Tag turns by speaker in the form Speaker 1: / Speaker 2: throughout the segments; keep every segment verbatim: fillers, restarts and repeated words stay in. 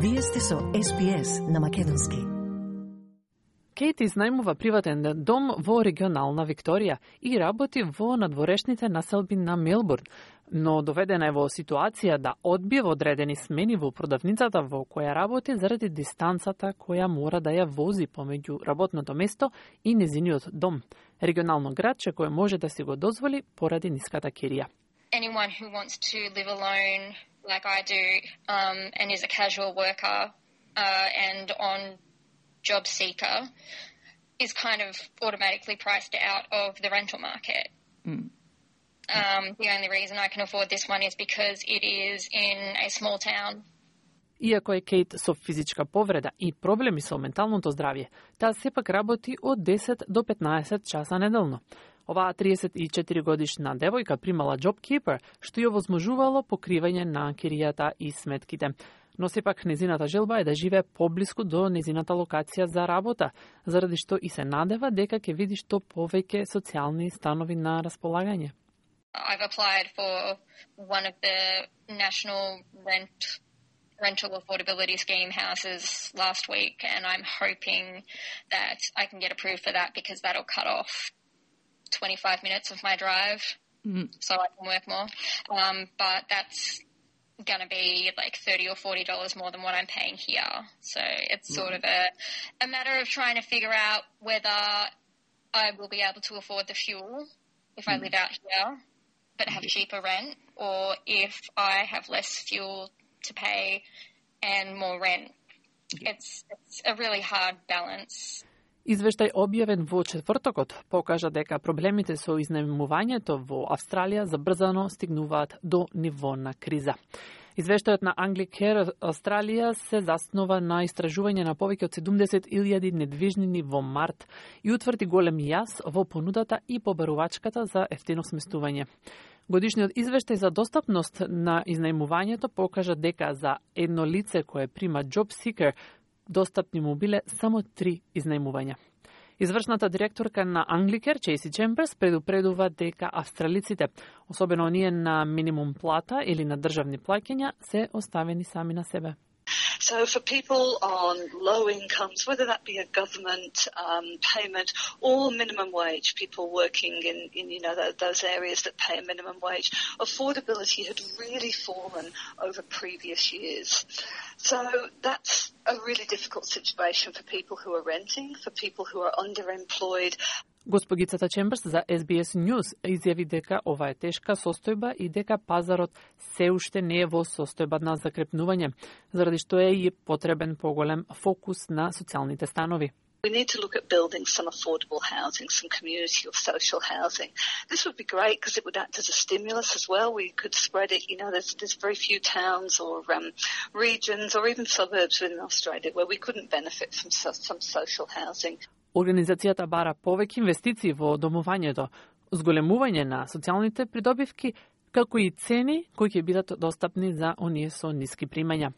Speaker 1: Вие сте со Ес Би Ес на македонски.
Speaker 2: Кейт изнајмува приватен дом во регионална Викторија и работи во надворешните населби на Мелбурн, но доведена е во ситуација да одбие одредени смени во продавницата во која работи заради дистанцата која мора да ја вози помеѓу работното место и незиниот дом. Регионално градче кое може да си го дозволи поради ниската кирија.
Speaker 3: Anyone who wants to live alone like I do um, and is a casual worker uh, and on job seeker is kind of automatically priced out of the rental market. Mm. Um, the only reason I can afford this one is because it is in a small town.
Speaker 2: Иако е Кейт со физичка повреда и проблеми со менталното здравје, таа сепак работи од десет до петнаесет часа неделно. Оваа триесет и четири годишна девојка примала JobKeeper, што ја возможувало покривање на киријата и сметките. Но сепак незината желба е да живее поблиску до незината локација за работа, заради што и се надева дека ќе види што повеќе социјални станови на располагање.
Speaker 3: I've applied for one of the national rent rental affordability scheme houses last week, and I'm hoping that I can get approved for that because that'll cut off twenty-five minutes of my drive, mm. so I can work more. Um, but that's going to be like thirty or forty dollars more than what I'm paying here. So it's mm. sort of a, a matter of trying to figure out whether I will be able to afford the fuel if mm. I live out here, but have cheaper rent, or if I have less fuel to pay and more rent. It's, it's a really hard balance.
Speaker 2: Извештај објавен во четвртокот покажа дека проблемите со изнајмувањето во Австралија забрзано стигнуваат до ниво на криза. Извештајот на Anglicare Австралија се заснова на истражување на повеќе од седумдесет илјади недвижнини во март и утврди голем јас во понудата и побарувачката за ефтино сместување. Годишниот извештај за достапност на изнајмувањето покажа дека за едно лице кое прима JobSeeker достапни му биле само три изнајмувања. Извршната директорка на Anglicare, Чейси Чемберс, предупредува дека австралиците, особено оние на минимум плата или на државни плаќања, се оставени сами на себе.
Speaker 4: So for people on low incomes, whether that be a government um, payment or minimum wage, people working in, in you know, those areas that pay a minimum wage, affordability had really fallen over previous years. So that's a really difficult situation for people who are renting, for people who are underemployed.
Speaker 2: Господицата Чемберс за Ес Би Ес News изјави дека ова е тешка состојба и дека пазарот се уште не е во состојба на закрепнување, заради што е и потребен поголем фокус на социјалните станови.
Speaker 4: We need to look at building some affordable housing, some community or social housing. This would be great because it would act as a stimulus as well. We could spread it, you know, there's, there's very few towns or um, regions or even suburbs within Australia where we couldn't benefit from so, some social housing.
Speaker 2: Организацијата бара повеќе инвестиции во домувањето, зголемување на социјалните придобивки, како и цени кои ќе бидат достапни за оние со ниски примања.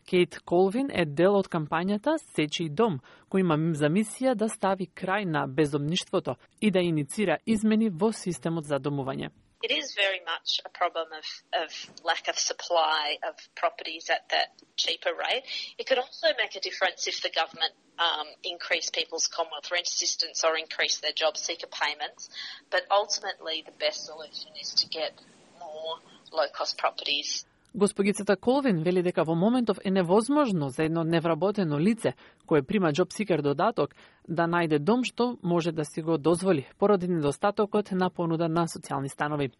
Speaker 2: Кейт Колвин е дел од кампањата Сечи дом, кој има за мисија да стави крај на бездомништвото и да иницира измени во системот за домување.
Speaker 5: It is very much a problem of, of lack of supply of properties at that cheaper rate. It could also make a difference if the government um, increase people's Commonwealth rent assistance or increase their job seeker payments. But ultimately, the best solution is to get more low-cost properties.
Speaker 2: Господицата Колвин вели дека во моментов е невозможно за едно невработено лице кое прима JobSeeker додаток да најде дом што може да си го дозволи поради недостатокот на понуда на социјални станови.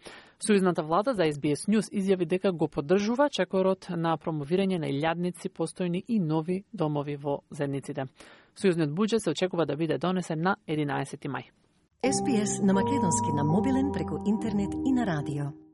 Speaker 2: Сојузната влада за Ес Би Ес News изјави дека го поддржува чекорот на промовирање на илјадници постојни и нови домови во заедниците. Сојузниот буџет се очекува да биде донесен на единаесети мај.
Speaker 1: Ес Би Ес на македонски на мобилен преку интернет и на радио.